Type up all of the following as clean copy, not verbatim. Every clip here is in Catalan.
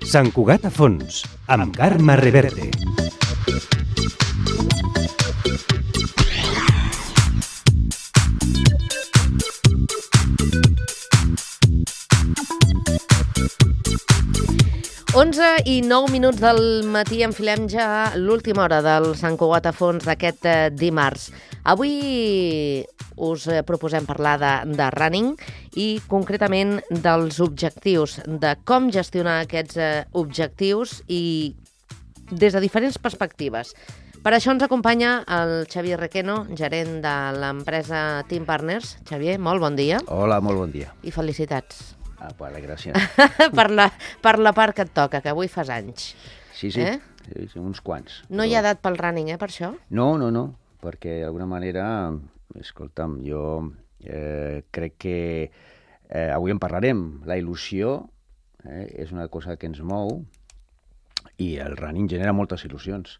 Sant Cugat a fons, amb Carme Reverte. I 9 minuts del matí, enfilem ja l'última hora del Sant Cugat a fons d'aquest dimarts. Avui us proposem parlar de running i concretament dels objectius, de com gestionar aquests objectius i des de diferents perspectives. Per això ens acompanya el Xavier Requeno, gerent de l'empresa Team Partners. Xavier, molt bon dia. Hola, molt bon dia. I felicitats. Vale, gràcies. per la part que et toca, que avui fas anys. Sí, uns quants. No hi ha edat pel running, per això? No, perquè d'alguna manera, escolta'm, jo crec que avui en parlarem. La il·lusió és una cosa que ens mou i el running genera moltes il·lusions.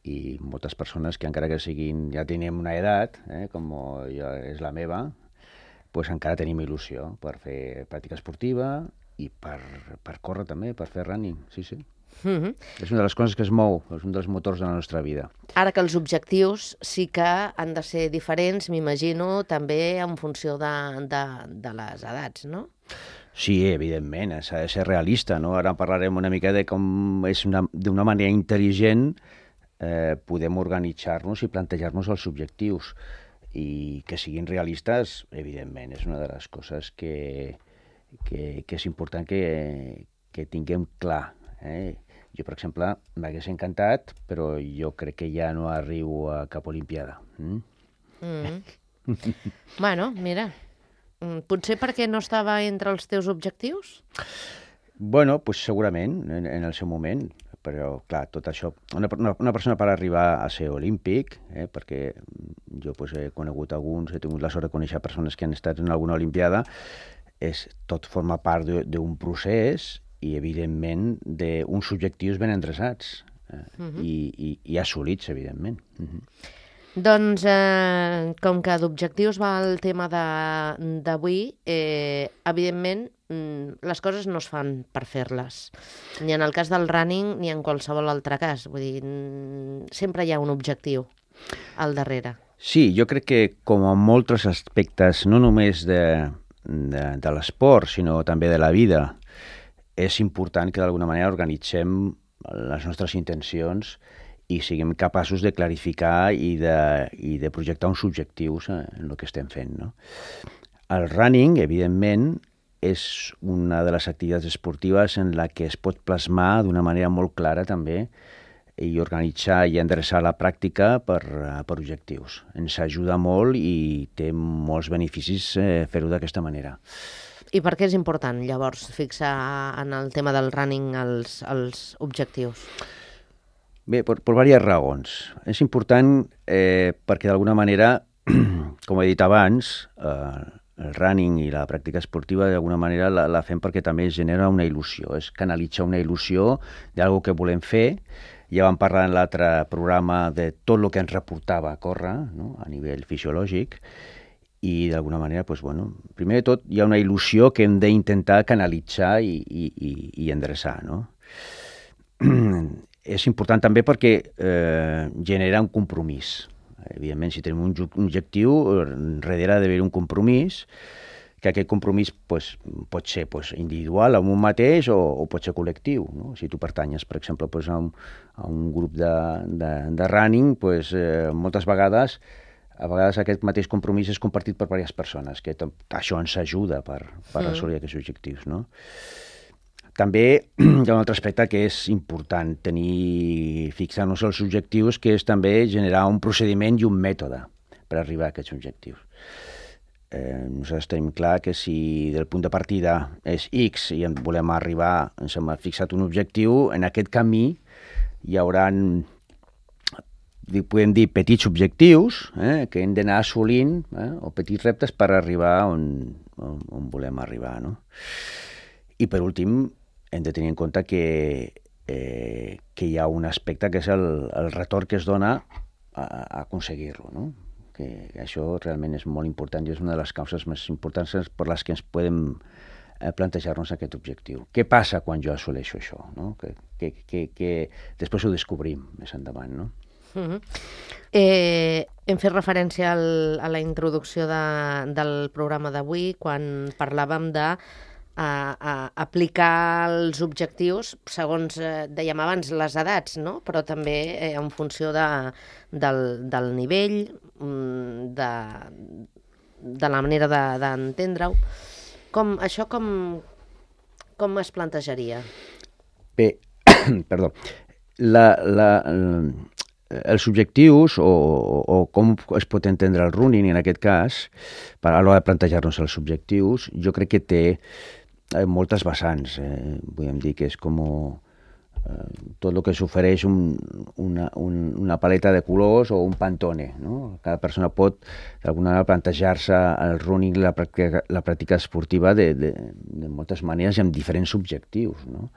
I moltes persones que encara que siguin, ja tenim una edat, com ja és la meva, pues encara tenim il·lusió per fer pràctica esportiva i per córrer també, per fer running, sí. És una de les coses que es mou, és un dels motors de la nostra vida. Ara que els objectius sí que han de ser diferents, m'imagino, també en funció de les edats, no? Sí, evidentment, s'ha de ser realista, no? Ara parlarem una mica de com és d'una manera intel·ligent podem organitzar-nos i plantejar-nos els objectius. I que siguin realistes, evidentment, és una de les coses que és important que tinguem clar. Jo, per exemple, m'hagués encantat, però jo crec que ja no arribo a cap olimpiada. Bueno, mira, potser perquè no estava entre els teus objectius? Bueno, pues segurament, en el seu moment. Però, clar, tot això... Una persona per arribar a ser olímpic, perquè jo he conegut alguns, he tingut la sort de conèixer persones que han estat en alguna olimpiada, tot forma part d'un procés i, evidentment, d'uns objectius ben endreçats i assolits, evidentment. Doncs, com que d'objectius va el tema d'avui, evidentment, les coses no es fan per fer-les. Ni en el cas del running, ni en qualsevol altre cas. Vull dir, sempre hi ha un objectiu al darrere. Sí, jo crec que, com en molts aspectes, no només de l'esport, sinó també de la vida, és important que d'alguna manera organitzem les nostres intencions i siguem capaços de clarificar i de projectar uns objectius en el que estem fent, no? El running, evidentment, és una de les activitats esportives en la que es pot plasmar d'una manera molt clara també i organitzar i endreçar la pràctica per objectius. Ens ajuda molt i té molts beneficis fer-ho d'aquesta manera. I per què és important, llavors, fixar en el tema del running els objectius? Bé, per diverses raons. És important perquè d'alguna manera, com he dit abans, el running i la pràctica esportiva d'alguna manera la fem perquè també es genera una il·lusió, és canalitzar una il·lusió d'algo que volem fer. Ja vam parlar en l'altre programa de tot el que ens reportava a córrer, no? A nivell fisiològic, i d'alguna manera, primer de tot hi ha una il·lusió que hem d'intentar canalitzar i endreçar, no? És important també perquè genera un compromís. Evidentment, si tenim un objectiu, darrere ha d'haver un compromís, que aquest compromís pot ser individual, amb un mateix, o pot ser col·lectiu, no? Si tu pertanyes, per exemple, a un grup de running, moltes vegades, aquest mateix compromís és compartit per diverses persones, que això ens ajuda per assolir aquests objectius, no? També hi ha un altre aspecte que és important fixar-nos els objectius, que és també generar un procediment i un mètode per arribar a aquests objectius. Nosaltres tenim clar que si del punt de partida és X i en volem arribar, ens hem fixat un objectiu, en aquest camí hi haurà, podem dir, petits objectius que hem d'anar assolint, o petits reptes per arribar on volem arribar, no? I per últim, hem de tenir en compte que hi ha un aspecte que és el retorn que es dona a aconseguir-lo, no? Que això realment és molt important i és una de les causes més importants per les que ens podem plantejar-nos aquest objectiu. Què passa quan jo assoleixo això? No? Que després ho descobrim més endavant, no? Hem fet referència a la introducció del programa d'avui quan parlàvem de aplicar els objectius segons, dèiem abans, les edats, no? Però també en funció del nivell, de la manera d'entendre-ho. Això com es plantejaria? Bé, perdó, els objectius o com es pot entendre el running en aquest cas, a l'hora de plantejar-nos els objectius, jo crec que té moltes vessants. Podem dir que és com tot el que s'ofereix una paleta de colors o un pantone, no? Cada persona pot d'alguna manera plantejar-se el running, la pràctica esportiva de moltes maneres i amb diferents objectius, no?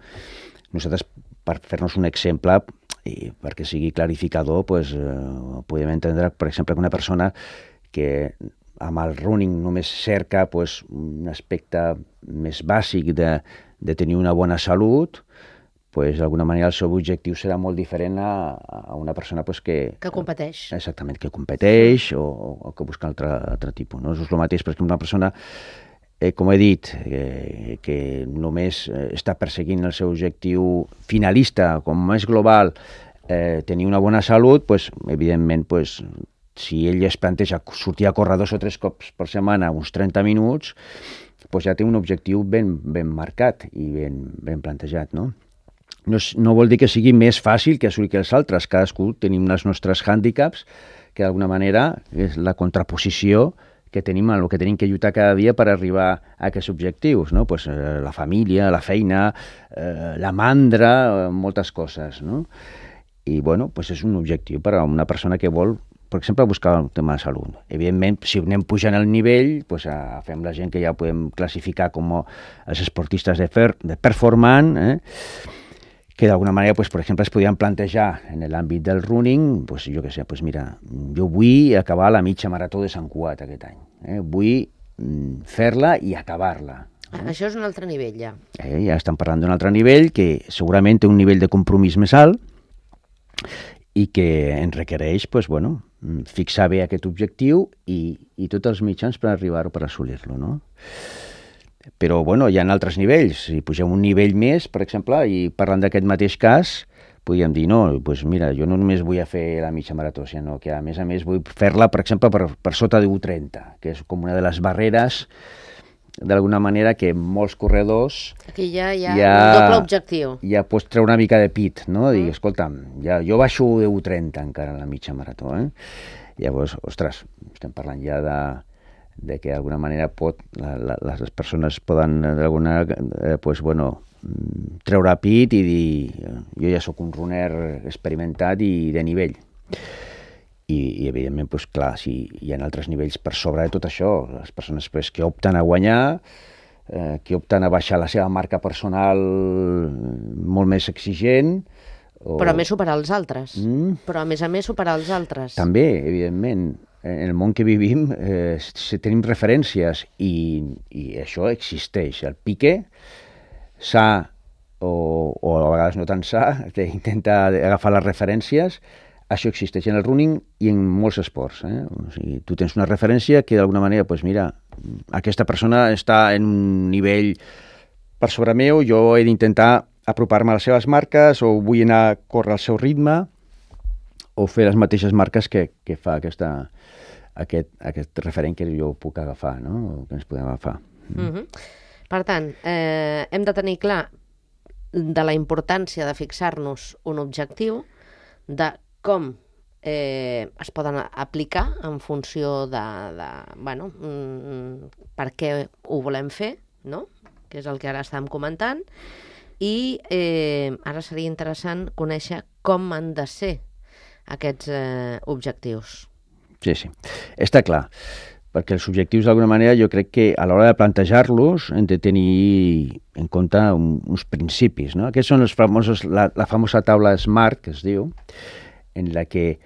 Nosaltres, per fer-nos un exemple, i perquè sigui clarificador, podem entendre, per exemple, que una persona que amb el running només cerca un aspecte més bàsic de tenir una bona salut, d'alguna manera el seu objectiu serà molt diferent a una persona que competeix. Exactament, que competeix o que busca altre tipus. No? És el mateix, per exemple, una persona, com he dit, que només està perseguint el seu objectiu finalista, com més global, tenir una bona salut, evidentment, si ell es planteja sortir a córrer 2 o 3 cops per setmana, uns 30 minuts, ja té un objectiu ben marcat i ben plantejat, no? No vol dir que sigui més fàcil que assolir que els altres. Cadascú tenim els nostres hàndicaps, que d'alguna manera és la contraposició que tenim en el que tenim que lluitar cada dia per arribar a aquests objectius, no? La família, la feina, la mandra, moltes coses, no? I, és un objectiu per a una persona que vol, per exemple, buscar el tema de salut. Evidentment, si anem pujant el nivell, fem la gent que ja podem classificar com els esportistes de performant, que d'alguna manera, per exemple, es podien plantejar en l'àmbit del running, jo què sé, mira, jo vull acabar la mitja marató de Sant Cugat aquest any. Vull fer-la i acabar-la. Això és un altre nivell, ja. Ja estem parlant d'un altre nivell, que segurament té un nivell de compromís més alt i que ens requereix, fixar bé aquest objectiu i tots els mitjans per arribar-ho, per assolir-lo, no? Però, hi ha altres nivells. Si pugem un nivell més, per exemple, i parlant d'aquest mateix cas, podríem dir, no, mira, jo no només vull fer la mitja marató, sinó que, a més, vull fer-la, per exemple, per sota de 1:30, que és com una de les barreres, d'alguna manera, que molts corredors... Aquí ja hi ha un doble objectiu. Ja pots treure una mica de pit, no? Dir, escolta'm, jo baixo de 1:30 encara en la mitja marató, Llavors, ostres, estem parlant ja de que d'alguna manera les persones poden treure pit i dir jo ja sóc un runner experimentat i de nivell. I evidentment, clar, si hi ha altres nivells per sobre de tot això, les persones que opten a guanyar, que opten a baixar la seva marca personal molt més exigent... Però a més superar els altres. Però a més superar els altres. També, evidentment. En el món que vivim tenim referències i això existeix. El pique sa o a vegades no tan sa, que intenta agafar les referències, això existeix en el running i en molts esports. O sigui, tu tens una referència que d'alguna manera, mira, aquesta persona està en un nivell per sobre meu, jo he d'intentar apropar-me a les seves marques o vull anar a córrer al seu ritme o fer les mateixes marques que fa aquest referent que jo puc agafar, no? O que ens podem agafar. Per tant, hem de tenir clar de la importància de fixar-nos un objectiu, de com es poden aplicar en funció de per què ho volem fer, no? Que és el que ara estàvem comentant, i ara seria interessant conèixer com han de ser aquests objectius. Sí. Està clar, perquè els objectius d'alguna manera jo crec que a l'hora de plantejar-los hem de tenir en compte uns principis, no? Aquests són els famosos, la famosa taula SMART, que es diu, en la que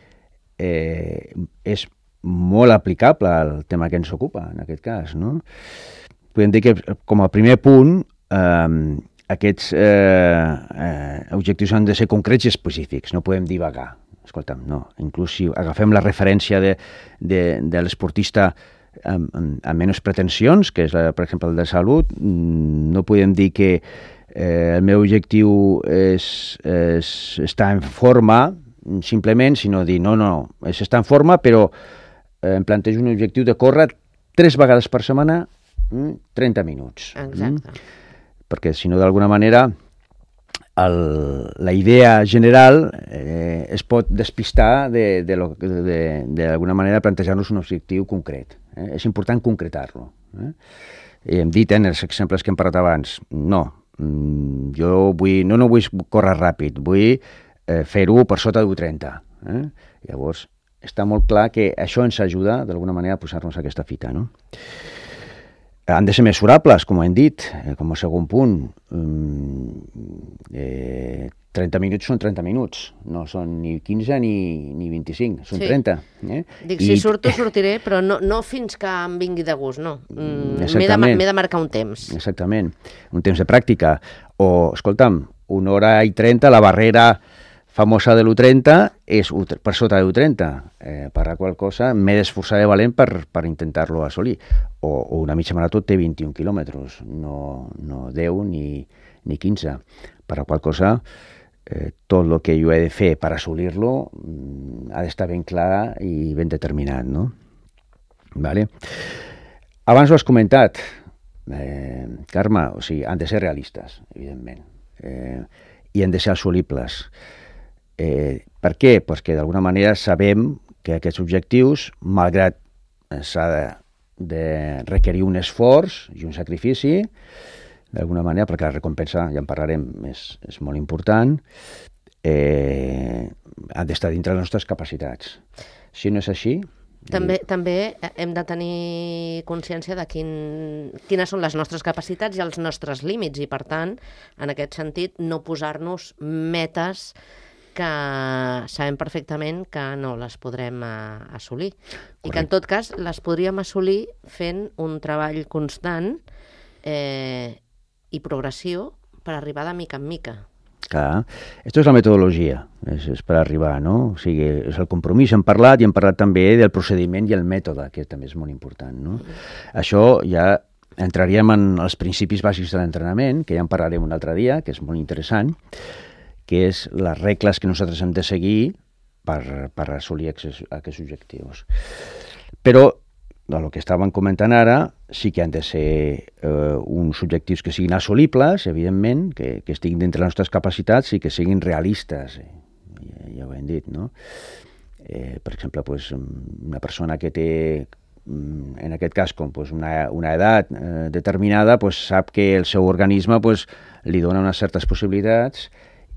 és molt aplicable al tema que ens ocupa, en aquest cas, no? Podem dir que, com a primer punt, aquests objectius han de ser concrets i específics, no podem divagar. Escolta'm, no. Inclús si agafem la referència de l'esportista amb menys pretensions, que és, per exemple, el de salut, no podem dir que el meu objectiu és estar en forma, simplement, sinó dir, no, és estar en forma, però em plantejo un objectiu de córrer 3 vegades per setmana 30 minuts. Exacte. Perquè, si no, d'alguna manera, la idea general es pot despistar d'alguna manera plantejar-nos un objectiu concret. És important concretar-lo. I hem dit, en els exemples que hem parlat abans, no, jo no vull córrer ràpid, vull fer-ho per sota d'1,30. Llavors, està molt clar que això ens ajuda, d'alguna manera, a posar-nos aquesta fita, no? Han de ser mesurables, com hem dit, com a segon punt. 30 minuts són 30 minuts, no són ni 15 ni 25, són 30. Dic, si surto, sortiré, però no fins que em vingui de gust, no. M'he de marcar un temps. Exactament, un temps de pràctica. O, escolta'm, 1 hora i 30, la barrera famosa de l'1,30 és per sota de l'1,30. Per la qual cosa m'he d'esforçar de valent per intentar-lo assolir. O una mitja marató té 21 quilòmetres, no 10 ni 15. Per la qual cosa, tot el que jo he de fer per assolir-lo ha d'estar ben clar i ben determinat, no? Vale? Abans ho has comentat, Carme, o sigui, han de ser realistes, evidentment, i han de ser assolibles. Per què? Perquè d'alguna manera sabem que aquests objectius, malgrat s'ha de requerir un esforç i un sacrifici, d'alguna manera, perquè la recompensa, ja en parlarem, és molt important, han d'estar dintre les nostres capacitats. Si no és així... També hem de tenir consciència de quines són les nostres capacitats i els nostres límits, i per tant, en aquest sentit, no posar-nos metes que sabem perfectament que no les podrem assolir. Correcte. I que, en tot cas, les podríem assolir fent un treball constant i progressió per arribar de mica en mica. Clar, això és la metodologia, és per arribar, no? O sigui, és el compromís, hem parlat també del procediment i el mètode, que també és molt important, no? Això ja entraríem en els principis bàsics de l'entrenament, que ja en parlarem un altre dia, que és molt interessant, que és les regles que nosaltres hem de seguir per assolir aquests objectius. Però, del que estàvem comentant ara, sí que han de ser uns objectius que siguin assolibles, evidentment, que estiguin dintre les nostres capacitats i que siguin realistes, ja ho hem dit, no? Per exemple, una persona que té, en aquest cas, una edat determinada, sap que el seu organisme li dona unes certes possibilitats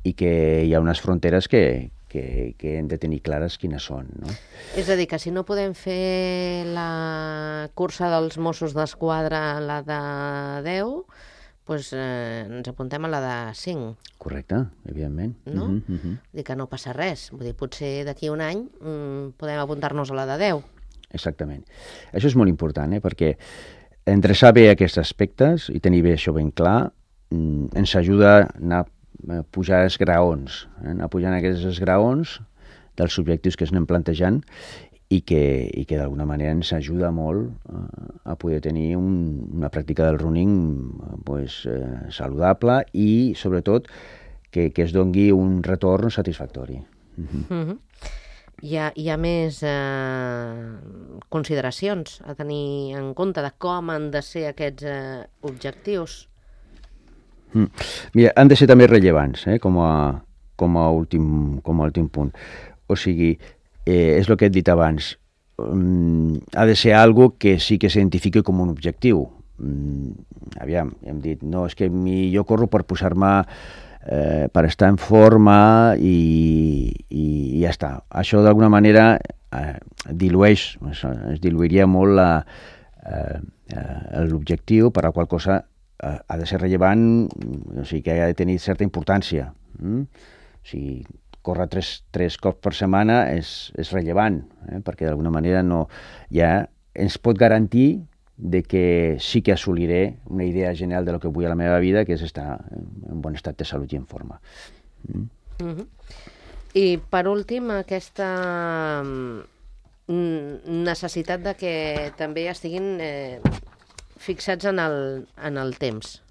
i que hi ha unes fronteres que hem de tenir clares quines són, no? És a dir, que si no podem fer la cursa dels Mossos d'Esquadra, la de 10, ens apuntem a la de 5. Correcte, evidentment. No? Dir que no passa res. Vull dir, potser d'aquí un any podem apuntar-nos a la de 10. Exactament. Això és molt important, perquè endreçar bé aquests aspectes i tenir bé això ben clar ens ajuda a anar pujar els graons, anar pujant aquests esgraons dels objectius que ens anem plantejant i que d'alguna manera ens ajuda molt a poder tenir una pràctica del running saludable i, sobretot, que es doni un retorn satisfactori. Hi ha més consideracions a tenir en compte de com han de ser aquests objectius? Mira, han de ser també rellevants, com a últim punt. O sigui, és el que he dit abans, ha de ser algo que sí que s'identifiqui com un objectiu. Aviam, hem dit, no, és que jo corro per posar-me, per estar en forma i ja està. Això d'alguna manera es diluiria molt l'objectiu, per la qual cosa ha de ser rellevant, o sigui que ha de tenir certa importància. O sigui, córrer tres cops per setmana és rellevant, perquè d'alguna manera ja ens pot garantir de que sí que assoliré una idea general de lo que vull a la meva vida, que és estar en bon estat de salut i en forma. I per últim, aquesta necessitat de que també estiguin fixats en el temps,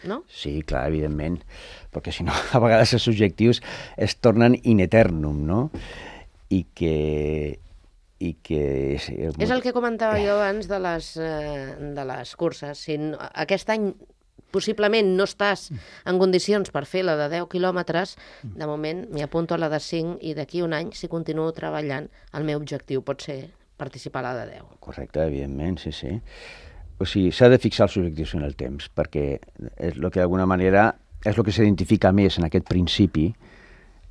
no? Sí, clar, evidentment, perquè si no, a vegades els objectius es tornen in eternum, no? I que és el que comentava jo abans de les curses. Si aquest any possiblement no estàs en condicions per fer la de 10 quilòmetres, de moment m'hi apunto a la de 5 i d'aquí un any, si continuo treballant, el meu objectiu pot ser participar a la de 10. Correcte, evidentment, sí, sí. O sigui, s'ha de fixar els objectius en el temps, perquè és el que d'alguna manera és el que s'identifica més en aquest principi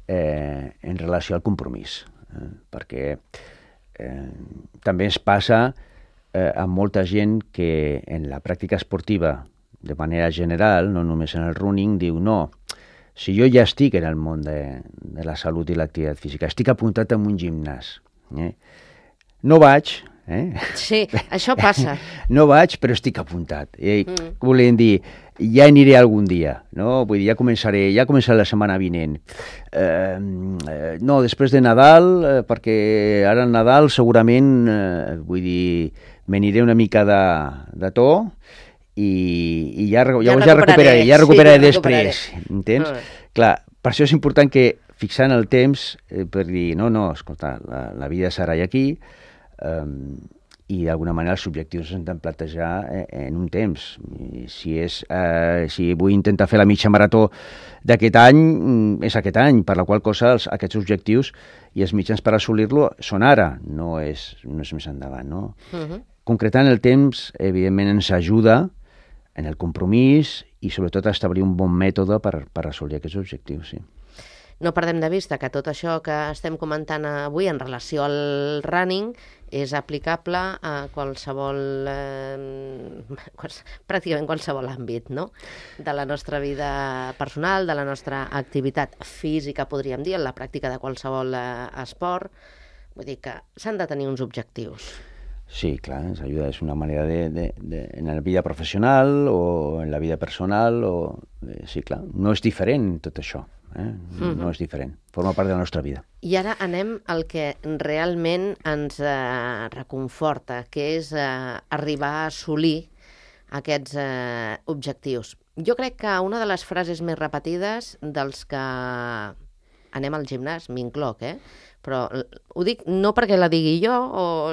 en relació al compromís. Perquè també ens passa amb molta gent que en la pràctica esportiva, de manera general, no només en el running, diu no, si jo ja estic en el món de la salut i l'activitat física, estic apuntat en un gimnàs. No vaig, Sí, això passa. No vaig, però estic apuntat. Volem dir, ja aniré algun dia, no? Vull dir, ja començaré la setmana vinent. No, després de Nadal, perquè ara el Nadal segurament, vull dir, m'aniré una mica de to i ja recuperaré després, entens? Clar, per això és important que fixant el temps per dir, no, escolta, la vida serà aquí, i d'alguna manera els objectius s'han de plantejar en un temps. Si vull intentar fer la mitja marató d'aquest any, és aquest any, per la qual cosa aquests objectius i els mitjans per assolir-lo són ara, no és més endavant. No? Concretant el temps, evidentment, ens ajuda en el compromís i sobretot a establir un bon mètode per assolir aquests objectius, sí. No perdem de vista que tot això que estem comentant avui en relació al running és aplicable a qualsevol, pràcticament qualsevol àmbit, no? De la nostra vida personal, de la nostra activitat física, podríem dir, en la pràctica de qualsevol esport. Vull dir que s'han de tenir uns objectius. Sí, clar, ens ajuda, és una manera en la vida professional o en la vida personal, sí, clar, no és diferent tot això. No és diferent, forma part de la nostra vida. I ara anem al que realment ens reconforta, que és arribar a assolir aquests objectius. Jo crec que una de les frases més repetides dels que anem al gimnàs, m'incloc, però ho dic no perquè la digui jo,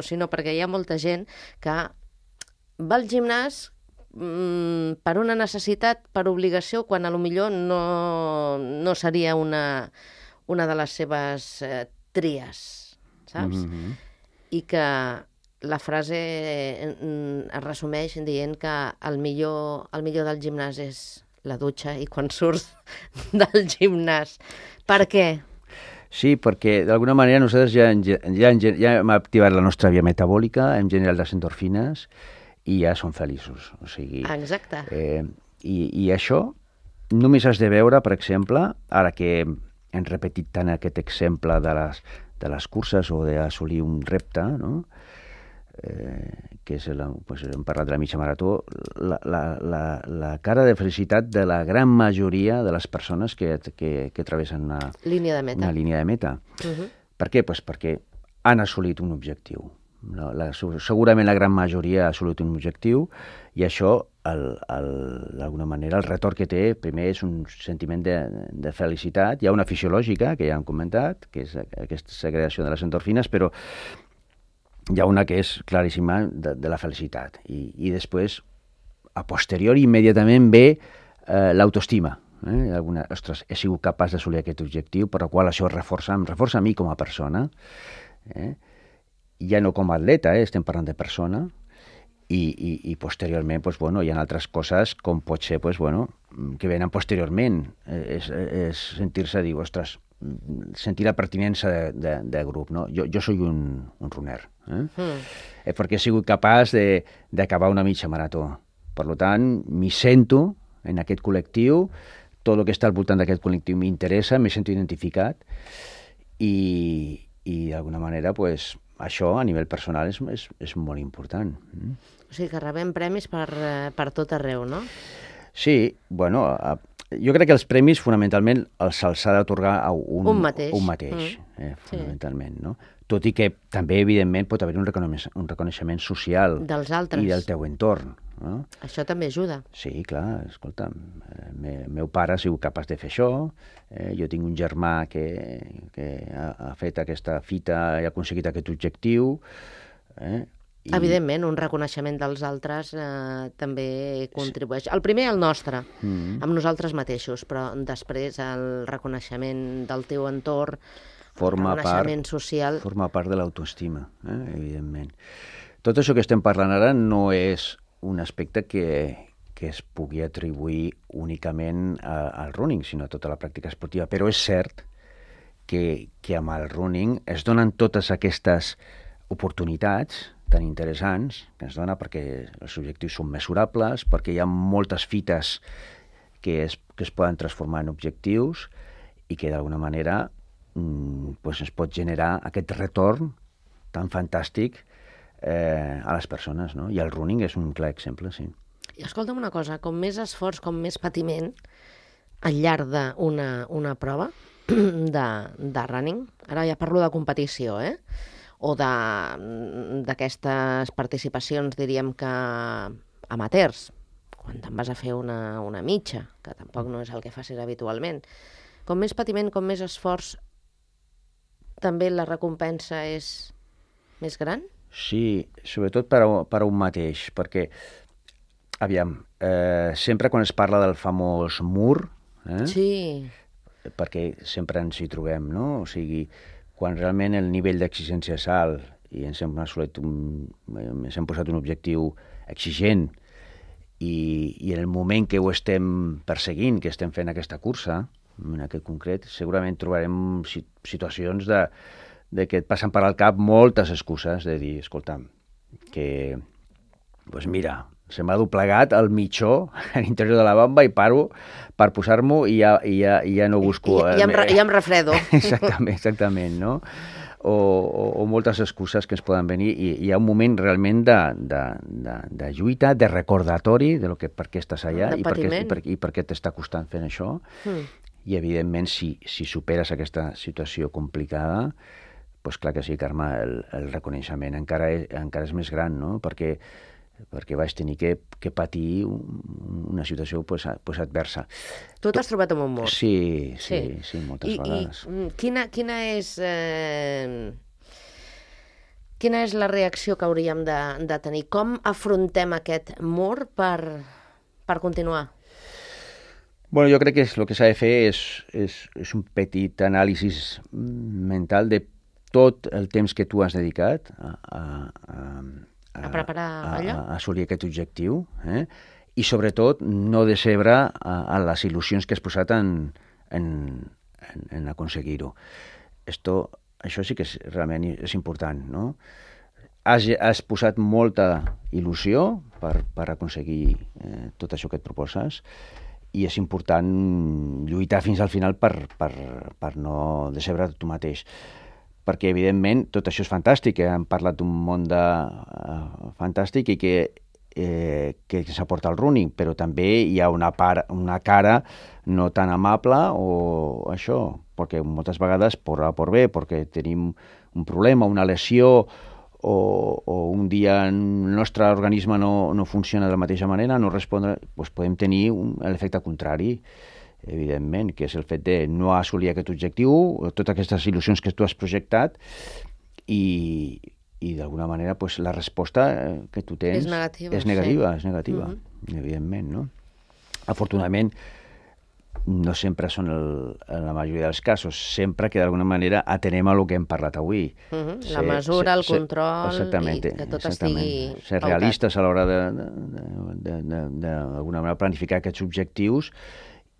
sinó perquè hi ha molta gent que va al gimnàs per una necessitat, per obligació, quan a lo millor no seria una de les seves tries, saps? I que la frase es resumeix dient que el millor del gimnàs és la dutxa i quan surts del gimnàs. Per què? Sí, perquè d'alguna manera nosaltres ja hem activat la nostra via metabòlica, hem generat les endorfines i ja som feliços. O sigui, exacte. I això només has de veure, per exemple, ara que hem repetit tant aquest exemple de les curses o d'assolir un repte, no? Que és hem parlat de la mitja marató, la cara de felicitat de la gran majoria de les persones que travessen una línia de meta. Per què? Pues perquè han assolit un objectiu. Segurament la gran majoria ha assolit un objectiu i això, d'alguna manera, el retorn que té, primer és un sentiment de felicitat. Hi ha una fisiològica, que ja hem comentat, que és aquesta segregació de les endorfines, però hi ha una que és claríssima de la felicitat. I després, a posteriori, immediatament ve l'autoestima. Ostres, he sigut capaç d'assolir aquest objectiu, per la qual això em reforça a mi com a persona. Ja no com a atleta, estem parlant de persona. I posteriorment, hi ha altres coses, com pot ser, que venen posteriorment. És sentir-se, dir, ostres, sentir la pertinença de grup, no? Jo soy un runner, perquè he sigut capaç d'acabar una mitja marató. Per tant, m'hi sento en aquest col·lectiu, tot el que està al voltant d'aquest col·lectiu m'interessa, m'he sento identificat, i d'alguna manera, pues, això a nivell personal és molt important. O sigui que rebem premis per tot arreu, no? Sí, bueno, jo crec que els premis fonamentalment se'ls ha d'atorgar a un mateix, fonamentalment, no? Tot i que també, evidentment, pot haver un reconeixement social dels altres i del teu entorn. No? Això també ajuda. Sí, clar, escolta'm, meu pare ha sigut capaç de fer això, jo tinc un germà que ha fet aquesta fita i ha aconseguit aquest objectiu. Evidentment, un reconeixement dels altres també contribueix. El primer, el nostre, amb nosaltres mateixos, però després el reconeixement del teu entorn, el reconeixement social... Forma part de l'autoestima, evidentment. Tot això que estem parlant ara no és un aspecte que es pugui atribuir únicament al running, sinó a tota la pràctica esportiva. Però és cert que amb el running es donen totes aquestes oportunitats tan interessants que es dona perquè els objectius són mesurables, perquè hi ha moltes fites que es poden transformar en objectius i que d'alguna manera es pot generar aquest retorn tan fantàstic a les persones, no? I el running és un clar exemple, sí. I escolta'm una cosa, com més esforç, com més patiment al llarg d'una prova de running, ara ja parlo de competició, o d'aquestes participacions, diríem que amateurs, quan te'n vas a fer una mitja, que tampoc no és el que facis habitualment. Com més patiment, com més esforç, també la recompensa és més gran? Sí, sobretot per a un mateix, perquè, aviam, sempre quan es parla del famós mur, sí, perquè sempre ens hi trobem, no? O sigui, quan realment el nivell d'exigència és alt i ens hem posat un objectiu exigent i en el moment que ho estem perseguint, que estem fent aquesta cursa, en aquest concret, segurament trobarem situacions de que et passen per al cap moltes excuses de dir, escolta'm, que, doncs mira, se m'ha doblegat el mitjó a l'interior de la bamba i paro per posar-m'ho i ja no busco... I em refredo. Exactament, no? O moltes excuses que ens poden venir i hi ha un moment realment de lluita, de recordatori de per què estàs allà i per què t'està costant fent això. I, evidentment, si superes aquesta situació complicada, doncs clar que sí, Carme, el reconeixement encara és més gran, no? Perquè vaig tenir que patir una situació adversa. Tu t'has trobat amb un mur? Sí, moltes vegades. Quina és la reacció que hauríem de tenir? Com afrontem aquest mur per continuar? Bueno, jo crec que el que s'ha de fer és un petit anàlisi mental de tot el temps que tu has dedicat a preparar allò? A assolir aquest objectiu, i sobretot no decebre a les il·lusions que has posat en aconseguir-ho. Això sí que realment és important, no? Has posat molta il·lusió per aconseguir tot això que et proposes i és important lluitar fins al final per no decebre tu mateix. Perquè, evidentment, tot això és fantàstic, hem parlat d'un món fantàstic i que s'aporta el running, però també hi ha una cara no tan amable o això, perquè moltes vegades, per A o per B, perquè tenim un problema, una lesió, o un dia el nostre organisme no funciona de la mateixa manera, no respondre, doncs podem tenir l'efecte contrari, evidentment, que és el fet de no assolir aquest objectiu, totes aquestes il·lusions que tu has projectat i d'alguna manera la resposta que tu tens és negativa, evidentment, no? Afortunadament, no sempre són en la majoria dels casos, sempre que d'alguna manera atenem a el que hem parlat avui. La mesura, el control, i que tot estigui ser realistes a l'hora d'alguna manera planificar aquests objectius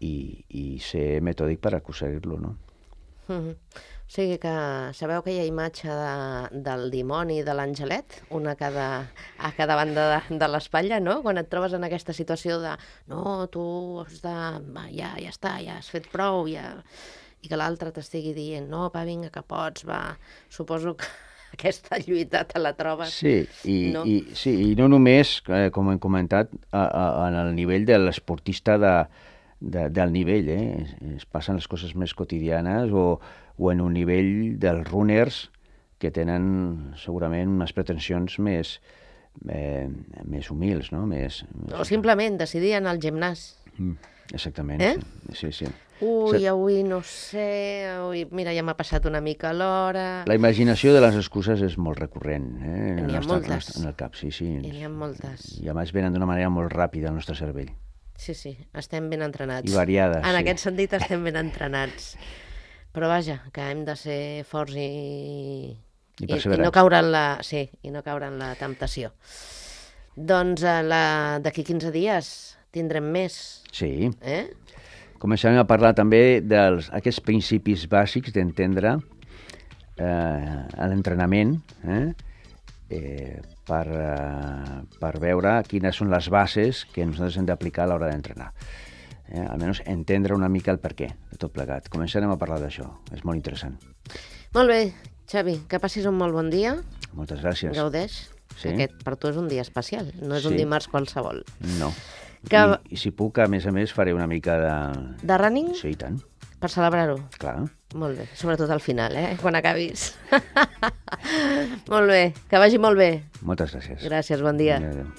i ser metòdic per aconseguir-lo, no? O sigui que sabeu aquella imatge del dimoni i de l'angelet, una a cada banda de l'espatlla, no? Quan et trobes en aquesta situació de no, tu has de... ja està, ja has fet prou, ja... i que l'altre t'estigui dient no, va, vinga, que pots, va. Suposo que aquesta lluita te la trobes. Sí, i no només, com hem comentat, en el nivell de l'esportista del nivell, es passen les coses més quotidianes o en un nivell dels runners que tenen segurament unes pretensions més humils, no? O simplement decidir anar al gimnàs. Exactament, sí. Avui no sé, mira, ja m'ha passat una mica l'hora... La imaginació de les excuses és molt recurrent, N'hi ha moltes. En el cap, sí. N'hi ha moltes. I a més venen d'una manera molt ràpida al nostre cervell. Sí, estem ben entrenats. I variades, En aquest sentit estem ben entrenats. Però vaja, que hem de ser forts I i perseverants. no caure en la... Sí, i no caure en la temptació. Doncs d'aquí 15 dies tindrem més. Sí. Començarem a parlar també d'aquests principis bàsics d'entendre l'entrenament per veure quines són les bases que nosaltres hem d'aplicar a l'hora d'entrenar. Almenys entendre una mica el perquè de tot plegat. Començarem a parlar d'això. És molt interessant. Molt bé, Xavi, que passis un molt bon dia. Moltes gràcies. Gaudeix. Sí. Aquest per tu és un dia especial, no és un dimarts qualsevol. No. Que... I si puc, a més, faré una mica de... De running? Sí, i tant. Per celebrar-ho? Clar. Molt bé, sobretot al final, quan acabis. Molt bé, que vagi molt bé. Moltes gràcies. Gràcies, bon dia. Adéu.